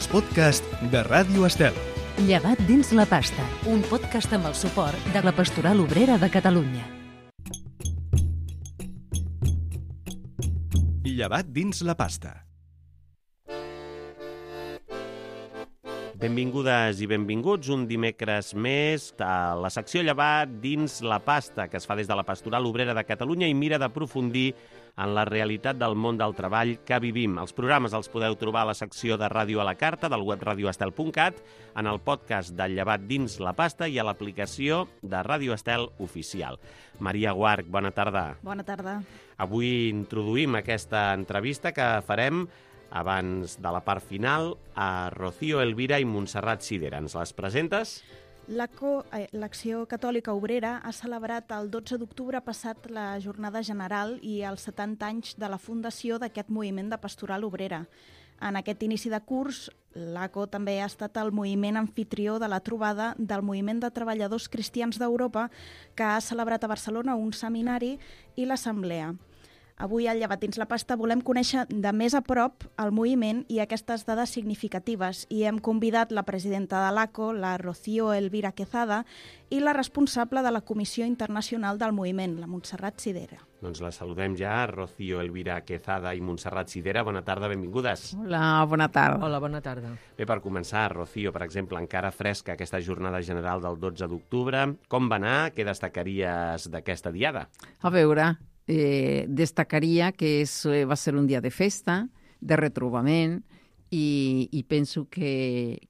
els podcasts de Ràdio Estel. Llevat dins la pasta, un podcast amb el suport de la Pastoral Obrera de Catalunya. Llevat dins la pasta. Benvingudes i benvinguts un dimecres més a la secció Llevat dins la pasta, que es fa des de la Pastoral Obrera de Catalunya i mira d'aprofundir en la realitat del món del treball que vivim. Els programes els podeu trobar a la secció de Ràdio a la Carta del web radioestel.cat, en el podcast del Llevat dins la pasta i a l'aplicació de Ràdio Estel oficial. Maria Guarch, bona tarda. Bona tarda. Avui introduïm aquesta entrevista que farem abans de la part final a Rocío Elvira i Montserrat Sidera. Ens les presentes? L'Acció Catòlica Obrera ha celebrat el 12 d'octubre passat la jornada general i els 70 anys de la fundació d'aquest moviment de pastoral obrera. En aquest inici de curs, l'ACO també ha estat el moviment anfitrió de la trobada del Moviment de Treballadors Cristians d'Europa, que ha celebrat a Barcelona un seminari i l'assemblea. Avui, al Llevat dins la pasta, volem conèixer de més a prop el moviment i aquestes dades significatives i hem convidat la presidenta de l'ACO, la Rocío Elvira Quezada, i la responsable de la Comissió Internacional del Moviment, la Montserrat Sidera. Doncs la saludem ja, Rocío Elvira Quezada i Montserrat Sidera. Bona tarda, benvingudes. Hola, bona tarda. Hola, bona tarda. Bé, per començar, Rocío, per exemple, encara fresca aquesta jornada general del 12 d'octubre. Com va anar? Què destacaries d'aquesta diada? A veure, destacaria que va ser un dia de festa, de retrobament, i penso que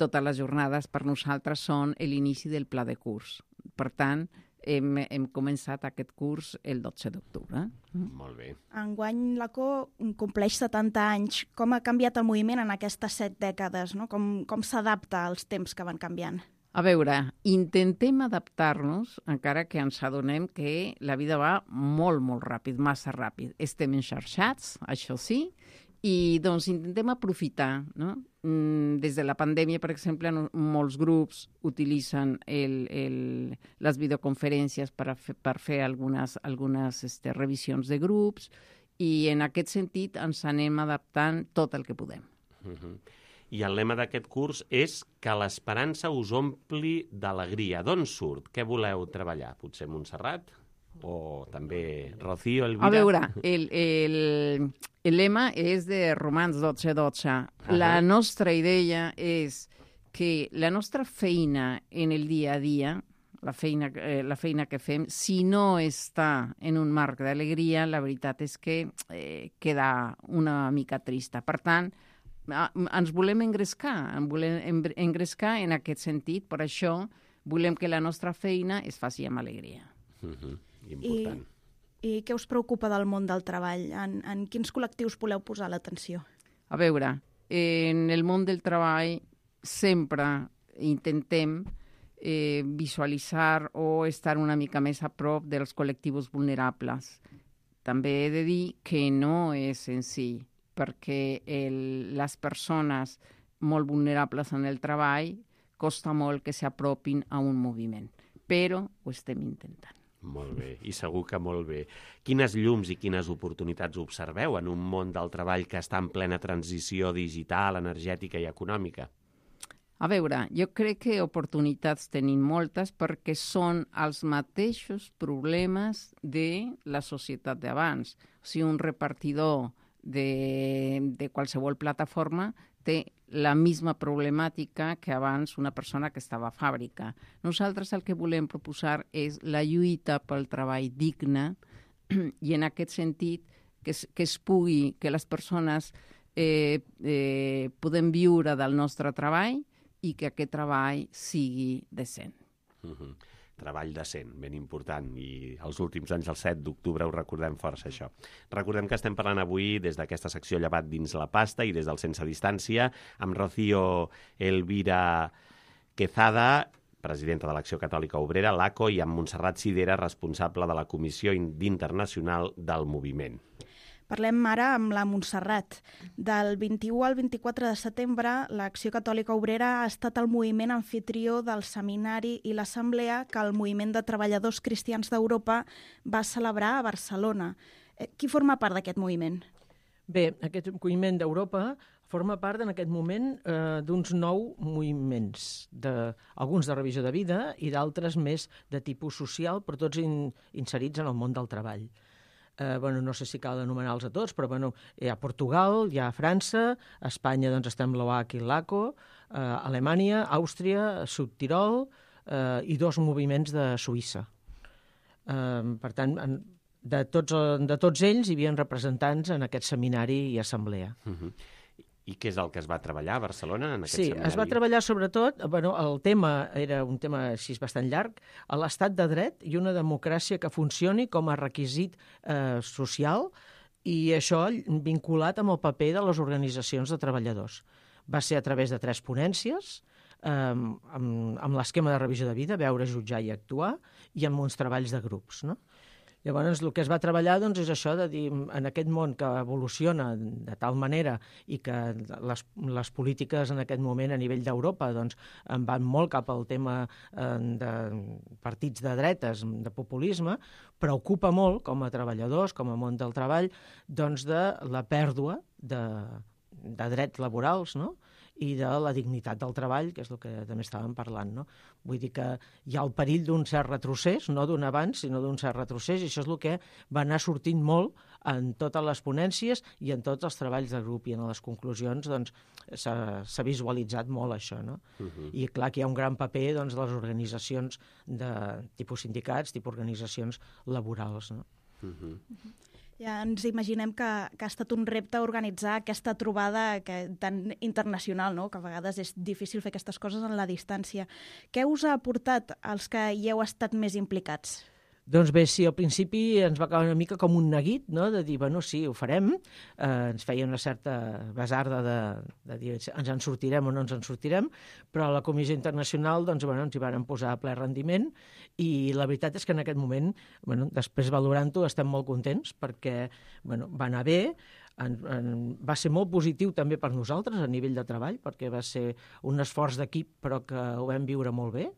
totes les jornades per nosaltres són l'inici del pla de curs. Per tant, hem començat aquest curs el 12 d'octubre. Molt bé. Enguany l'ACO compleix 70 anys. Com ha canviat el moviment en aquestes 7 dècades? No? Com s'adapta als temps que van canviant? A veure, intentem adaptar-nos, encara que ens adonem que la vida va molt, molt ràpid, massa ràpid. Estem enxarxats, això sí, i doncs intentem aprofitar, no? Des de la pandèmia, per exemple, molts grups utilitzen les videoconferències per fer algunes revisions de grups i en aquest sentit ens anem adaptant tot el que podem. I el lema d'aquest curs és que l'esperança us ompli d'alegria. D'on surt? Què voleu treballar? Potser Montserrat? O també Rocío Elvira? A veure, el lema és de Romans 12:12. La nostra idea és que la nostra feina en el dia a dia, la feina que fem, si no està en un marc d'alegria, la veritat és que queda una mica trista. Per tant, ens volem engrescar en aquest sentit, per això volem que la nostra feina es faci amb alegria. Important. I què us preocupa del món del treball? En quins col·lectius voleu posar l'atenció? A veure, en el món del treball sempre intentem visualitzar o estar una mica més a prop dels col·lectius vulnerables. També he de dir que no és senzill, perquè les persones molt vulnerables en el treball costa molt que s'apropin a un moviment, però ho estem intentant. Molt bé, i segur que molt bé. Quines llums i quines oportunitats observeu en un món del treball que està en plena transició digital, energètica i econòmica? A veure, jo crec que oportunitats tenim moltes perquè són els mateixos problemes de la societat d'abans. O sigui, un repartidor de qualsevol plataforma té la misma problemàtica que abans una persona que estava a fàbrica. Nosaltres el que volem proposar és la lluita pel treball digne i en aquest sentit que les persones podem viure del nostre treball i que aquest treball sigui decent. Treball decent, ben important, i els últims anys, el 7 d'octubre, ho recordem força, això. Recordem que estem parlant avui des d'aquesta secció Llevat dins la pasta i des del Sense Distància, amb Rocío Elvira Quezada, presidenta de l'Acció Catòlica Obrera, l'ACO, i amb Montserrat Sidera, responsable de la Comissió Internacional del Moviment. Parlem ara amb la Montserrat. Del 21 al 24 de setembre, l'Acció Catòlica Obrera ha estat el moviment anfitrió del seminari i l'assemblea que el Moviment de Treballadors Cristians d'Europa va celebrar a Barcelona. Qui forma part d'aquest moviment? Bé, aquest moviment d'Europa forma part en aquest moment d'uns 9 moviments, alguns de revisió de vida i d'altres més de tipus social, però tots inserits en el món del treball. No sé si cal anomenar-los a tots, però hi ha Portugal, hi ha França, a Espanya doncs, estem l'OAC i l'ACO, Alemanya, Àustria, Sud Tirol i 2 moviments de Suïssa. Per tant, de tots ells hi havia representants en aquest seminari i assemblea. I què és el que es va treballar a Barcelona en aquest seminari? Sí, es va treballar sobretot, el tema era un tema així bastant llarg, a l'estat de dret i una democràcia que funcioni com a requisit social i això vinculat amb el paper de les organitzacions de treballadors. Va ser a través de 3 ponències, amb l'esquema de revisió de vida, veure, jutjar i actuar, i amb uns treballs de grups, no? Llavors, el que es va treballar doncs, és això de dir, en aquest món que evoluciona de tal manera i que les polítiques en aquest moment a nivell d'Europa doncs, van molt cap al tema de partits de dretes, de populisme, preocupa molt, com a treballadors, com a món del treball, doncs, de la pèrdua de drets laborals, no? I de la dignitat del treball, que és el que també estàvem parlant, no? Vull dir que hi ha el perill d'un cert retrocés, no d'un avanç, sinó d'un cert retrocés, i això és el que va anar sortint molt en totes les ponències i en tots els treballs de grup, i en les conclusions doncs, s'ha visualitzat molt això, no? I clar que hi ha un gran paper doncs, de les organitzacions de tipus sindicats, tipus organitzacions laborals, no? Ja ens imaginem que ha estat un repte organitzar aquesta trobada tan internacional, no? Que a vegades és difícil fer aquestes coses en la distància. Què us ha aportat als que hi heu estat més implicats? Doncs bé, sí, al principi ens va acabar una mica com un neguit, no? De dir, sí, ho farem. Ens feia una certa basarda de dir, ens en sortirem o no ens en sortirem, però a la Comissió Internacional doncs, ens hi van posar a ple rendiment i la veritat és que en aquest moment, després valorant-ho, estem molt contents perquè va anar bé, va ser molt positiu també per nosaltres a nivell de treball, perquè va ser un esforç d'equip però que ho vam viure molt bé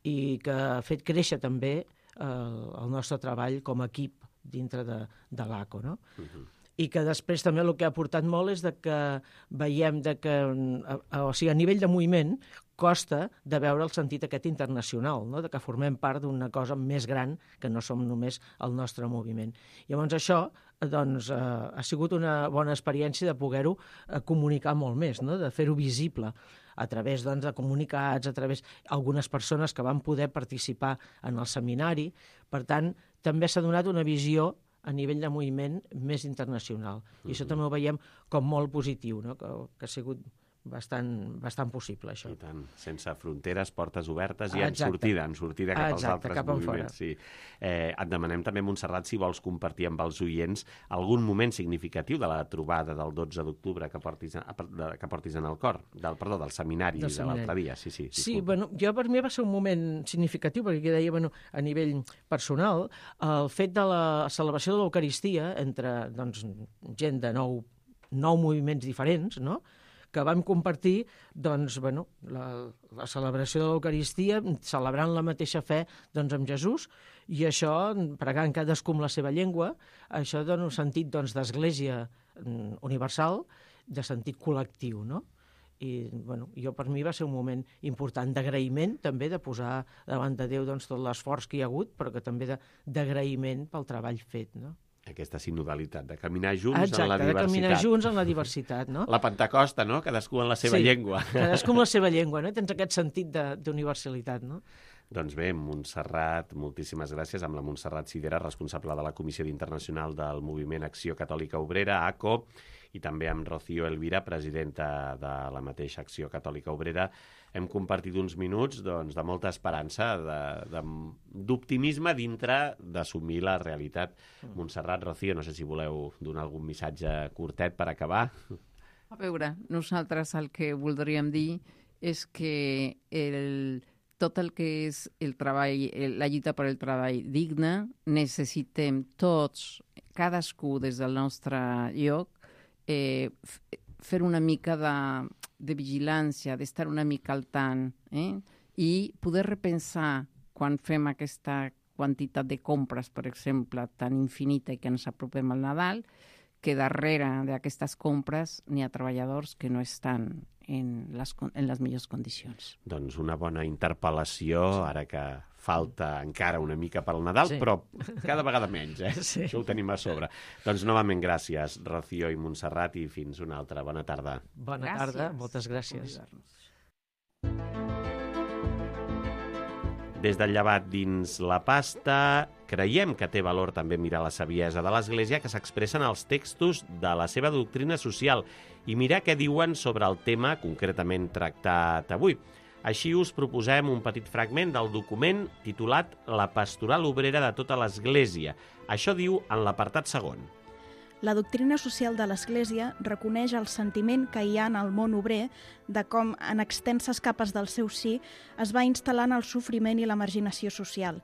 i que ha fet créixer també el nostre treball com a equip dintre de l'ACO, no? I que després també el que ha aportat molt és que veiem que, a nivell de moviment, costa de veure el sentit aquest internacional, no? De que formem part d'una cosa més gran que no som només el nostre moviment. Llavors això doncs, ha sigut una bona experiència de poder-ho comunicar molt més, no? De fer-ho visible a través doncs, de comunicats, a través d'algunes persones que van poder participar en el seminari. Per tant, també s'ha donat una visió a nivell de moviment més internacional. I això també ho veiem com molt positiu, no? Que ha sigut bastant possible, això. I tant, sense fronteres, portes obertes i en sortida cap als altres moviments. Sí. Et demanem també, Montserrat, si vols compartir amb els oients algun moment significatiu de la trobada del 12 d'octubre que portis en el cor, del seminari de l'altre dia. Sí, jo per mi va ser un moment significatiu, perquè deia, a nivell personal, el fet de la celebració de l'Eucaristia entre gent de 9 moviments diferents, no?, que vam compartir la celebració de l'Eucaristia, celebrant la mateixa fe amb Jesús, i això, pregant cadascú amb la seva llengua, això dona un sentit d'església universal, de sentit col·lectiu, no? I jo per mi va ser un moment important d'agraïment, també de posar davant de Déu tot l'esforç que hi ha hagut, però que també d'agraïment pel treball fet, no? Aquesta sinodalitat, de caminar junts en la diversitat. Exacte, de caminar junts en la diversitat, no? La Pentecosta, no? Cadascú en la seva llengua. Cadascú en la seva llengua, no? Tens aquest sentit d'universalitat, no? Doncs bé, Montserrat, moltíssimes gràcies. Amb la Montserrat Sidera, responsable de la Comissió Internacional del Moviment Acció Catòlica Obrera, ACO, i també amb Rocío Elvira, presidenta de la mateixa Acció Catòlica Obrera. Hem compartit uns minuts de molta esperança, d'optimisme dintre d'assumir la realitat. Montserrat, Rocío, no sé si voleu donar algun missatge curtet per acabar. A veure, nosaltres el que voldríem dir és que tot el que és el treball, la lluita per el treball digne, necessitem tots, cadascú des del nostre lloc, fer una mica de vigilància, d'estar una mica al tant, i poder repensar quan fem aquesta quantitat de compres, per exemple, tan infinita i que ens apropem al Nadal, que darrere d'aquestes compres n'hi ha treballadors que no estan en les millors condicions. Doncs una bona interpel·lació, ara que falta encara una mica pel Nadal, però cada vegada menys, Sí. Això ho tenim a sobre. Doncs novament gràcies, Rocío i Montserrat, i fins una altra. Bona tarda. Bona tarda, moltes gràcies. Des del llevat dins la pasta, creiem que té valor també mirar la saviesa de l'Església que s'expressa en els textos de la seva doctrina social i mirar què diuen sobre el tema concretament tractat avui. Així us proposem un petit fragment del document titulat La pastoral obrera de tota l'Església. Això diu en l'apartat segon. La doctrina social de l'Església reconeix el sentiment que hi ha en el món obrer de com, en extenses capes del seu si, es va instal·lant el sofriment i la marginació social.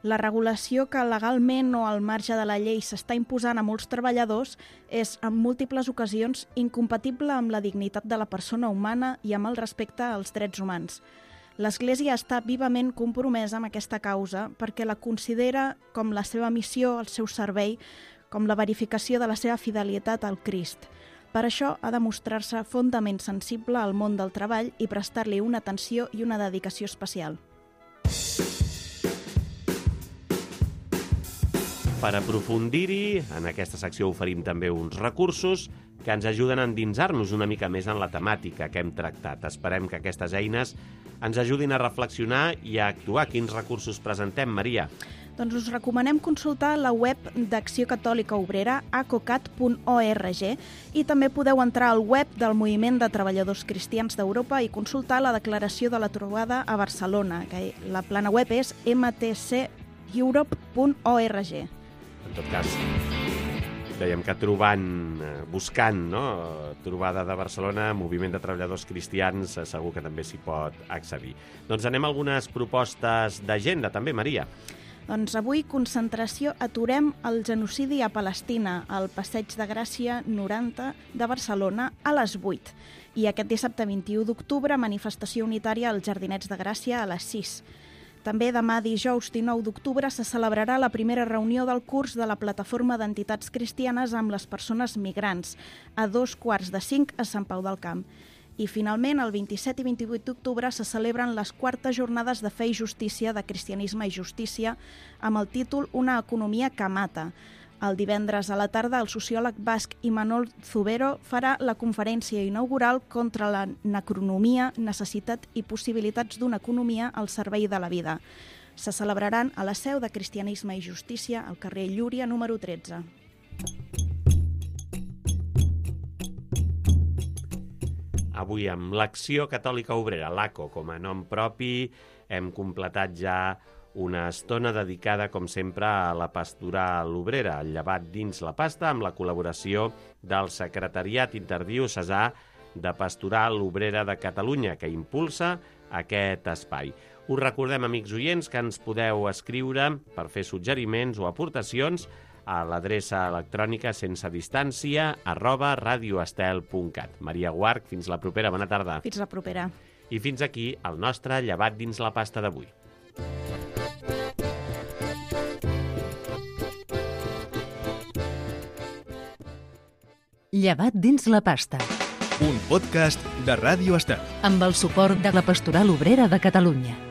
La regulació que legalment o al marge de la llei s'està imposant a molts treballadors és, en múltiples ocasions, incompatible amb la dignitat de la persona humana i amb el respecte als drets humans. L'Església està vivament compromesa amb aquesta causa perquè la considera com la seva missió, el seu servei, com la verificació de la seva fidelitat al Crist. Per això ha de mostrar-se fondament sensible al món del treball i prestar-li una atenció i una dedicació especial. Per aprofundir-hi, en aquesta secció oferim també uns recursos que ens ajuden a endinsar-nos una mica més en la temàtica que hem tractat. Esperem que aquestes eines ens ajudin a reflexionar i a actuar. Quins recursos presentem, Maria? Doncs us recomanem consultar la web d'Acció Catòlica Obrera, acocat.org, i també podeu entrar al web del Moviment de Treballadors Cristians d'Europa i consultar la declaració de la trobada a Barcelona, que la plana web és mtceurope.org. En tot cas, dèiem que buscant, no? Trobada de Barcelona, Moviment de Treballadors Cristians, segur que també s'hi pot accedir. Doncs anem a algunes propostes d'agenda, també, Maria. Doncs avui, concentració Aturem el genocidi a Palestina, al Passeig de Gràcia 90 de Barcelona a les 8. I aquest dissabte 21 d'octubre, manifestació unitària als Jardinets de Gràcia a les 6. També demà dijous 19 d'octubre se celebrarà la primera reunió del curs de la Plataforma d'Entitats Cristianes amb les persones migrants, a 2:45 a Sant Pau del Camp. I finalment, el 27 i 28 d'octubre se celebren les 4es jornades de fe i justícia de Cristianisme i Justícia amb el títol Una economia que mata. El divendres a la tarda, el sociòleg basc Imanol Zubero farà la conferència inaugural contra la necronomia, necessitat i possibilitats d'una economia al servei de la vida. Se celebraran a la seu de Cristianisme i Justícia, al carrer Llúria, número 13. Avui amb l'Acció Catòlica Obrera, l'ACO, com a nom propi, hem completat ja una estona dedicada, com sempre, a la pastoral obrera, el llevat dins la pasta, amb la col·laboració del Secretariat Interdiocesà de Pastoral Obrera de Catalunya, que impulsa aquest espai. Us recordem, amics oients, que ens podeu escriure per fer suggeriments o aportacions a l'adreça electrònica sensedistància@radioestel.cat. Maria Guarch, fins la propera. Bona tarda. Fins la propera. I fins aquí el nostre llevat dins la pasta d'avui. Llevat dins la pasta. Un podcast de Ràdio Estel. Amb el suport de la Pastoral Obrera de Catalunya.